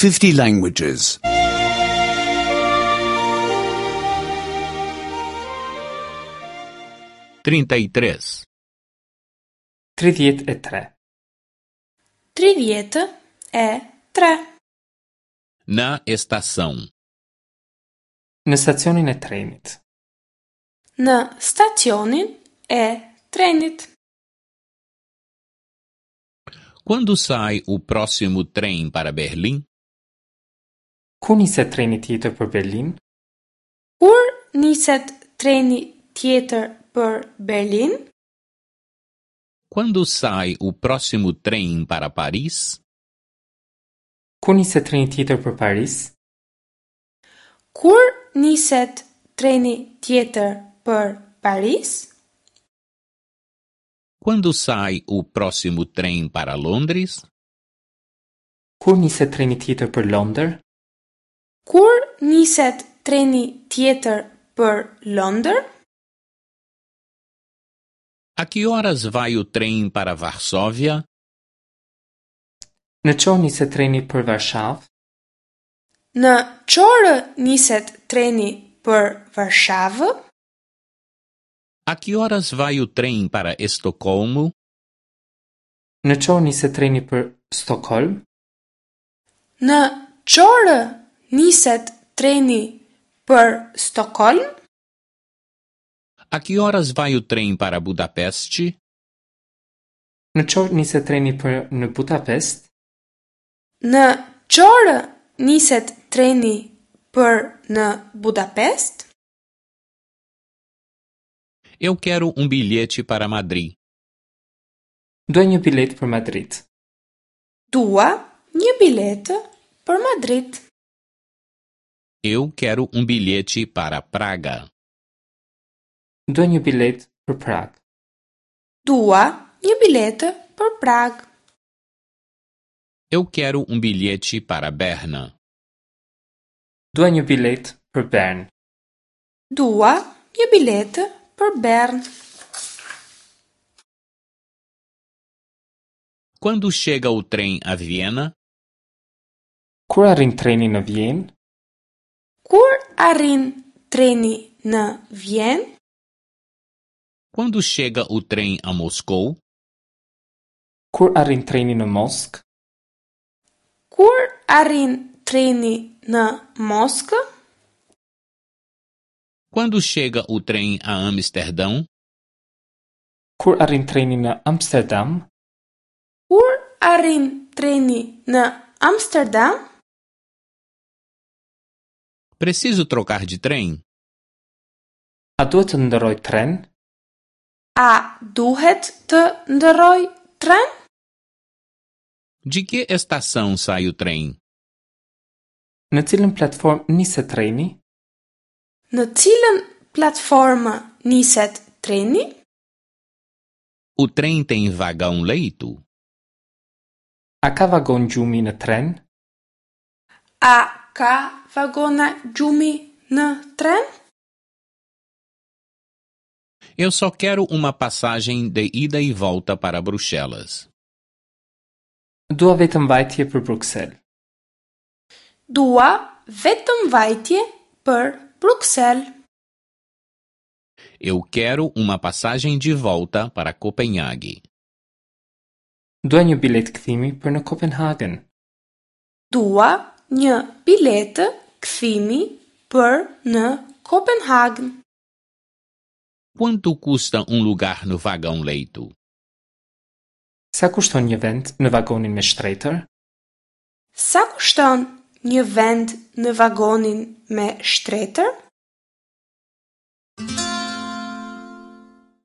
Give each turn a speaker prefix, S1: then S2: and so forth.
S1: 50 languages.
S2: 33.
S3: 33.
S4: 33.
S2: Na estação.
S3: Në stacionin e trenit.
S4: Në stacionin e trenit.
S2: Quando sai o próximo trem para Berlim?
S3: Kur niset treni tjetër për Berlin?
S4: Kur niset treni tjetër për Berlin?
S2: Quando sai o próximo trem para Paris?
S3: Kur niset treni tjetër për Paris?
S4: Kur niset treni tjetër për Paris?
S2: Quando sai o próximo trem para Londres?
S3: Kur niset treni tjetër për Londër?
S4: Kur niset treni tjetër për Londër?
S2: A que horas vai o trem para Varsóvia?
S3: Në ç'orë niset treni për Varshavë?
S4: Në ç'orë niset treni për Varshavë?
S2: A que horas vai o trem para Estocolmo?
S3: Në ç'orë niset treni për Stockholm?
S4: Në ç'orë niset treni për Stockholm?
S2: A que horas vai o trem para Budapeste?
S3: Në ç'orë niset treni për në Budapest?
S4: Në ç'orë niset treni për në Budapest?
S2: Eu quero um bilhete para Madri.
S3: Dua një biletë për Madrid.
S4: Dua një biletë për Madrid.
S2: Eu quero um bilhete para Praga.
S3: Dua një biletë për Pragë.
S4: Dua një biletë për Pragë.
S2: Eu quero um bilhete para Berna.
S3: Dua një biletë për Bern.
S4: Dua një biletë për Bern.
S2: Quando chega o trem a Viena?
S3: Kur arrin treni në Vjenë?
S4: Kur arrin treni në Vjenë?
S2: Quando chega o trem a Moscou?
S3: Kur arrin treni në Moskë?
S4: Kur arrin treni në Moskë?
S2: Quando chega o trem a Amsterdão?
S3: Kur arrin treni në Amsterdam?
S4: Kur arrin treni në Amsterdam?
S2: Preciso trocar de trem?
S3: A duhet të ndërroj tren?
S4: A duhet të ndërroj tren?
S2: De que estação sai o trem?
S3: Në cilën platformë niset treni?
S4: Në cilën platformë niset treni?
S2: O trem tem vagão leito?
S3: A ka vagon gjumi në tren?
S4: A ka vagona gjumi në tren?
S2: Eu só quero uma passagem de ida e volta para Bruxelas.
S3: Dua vetëm vajtje për Bruksel.
S4: Dua vetëm vajtje për Bruksel.
S2: Eu quero uma passagem de volta para Copenhague.
S3: Dua një biletë kthimi për në Kopenhagen.
S4: Dua një biletë kthimi për në Kopenhagen.
S2: Quanto custa um lugar no vagão leito?
S3: Sa kushton një vend në vagonin me shtretër?
S4: Sa kushton një vend në vagonin me shtretër?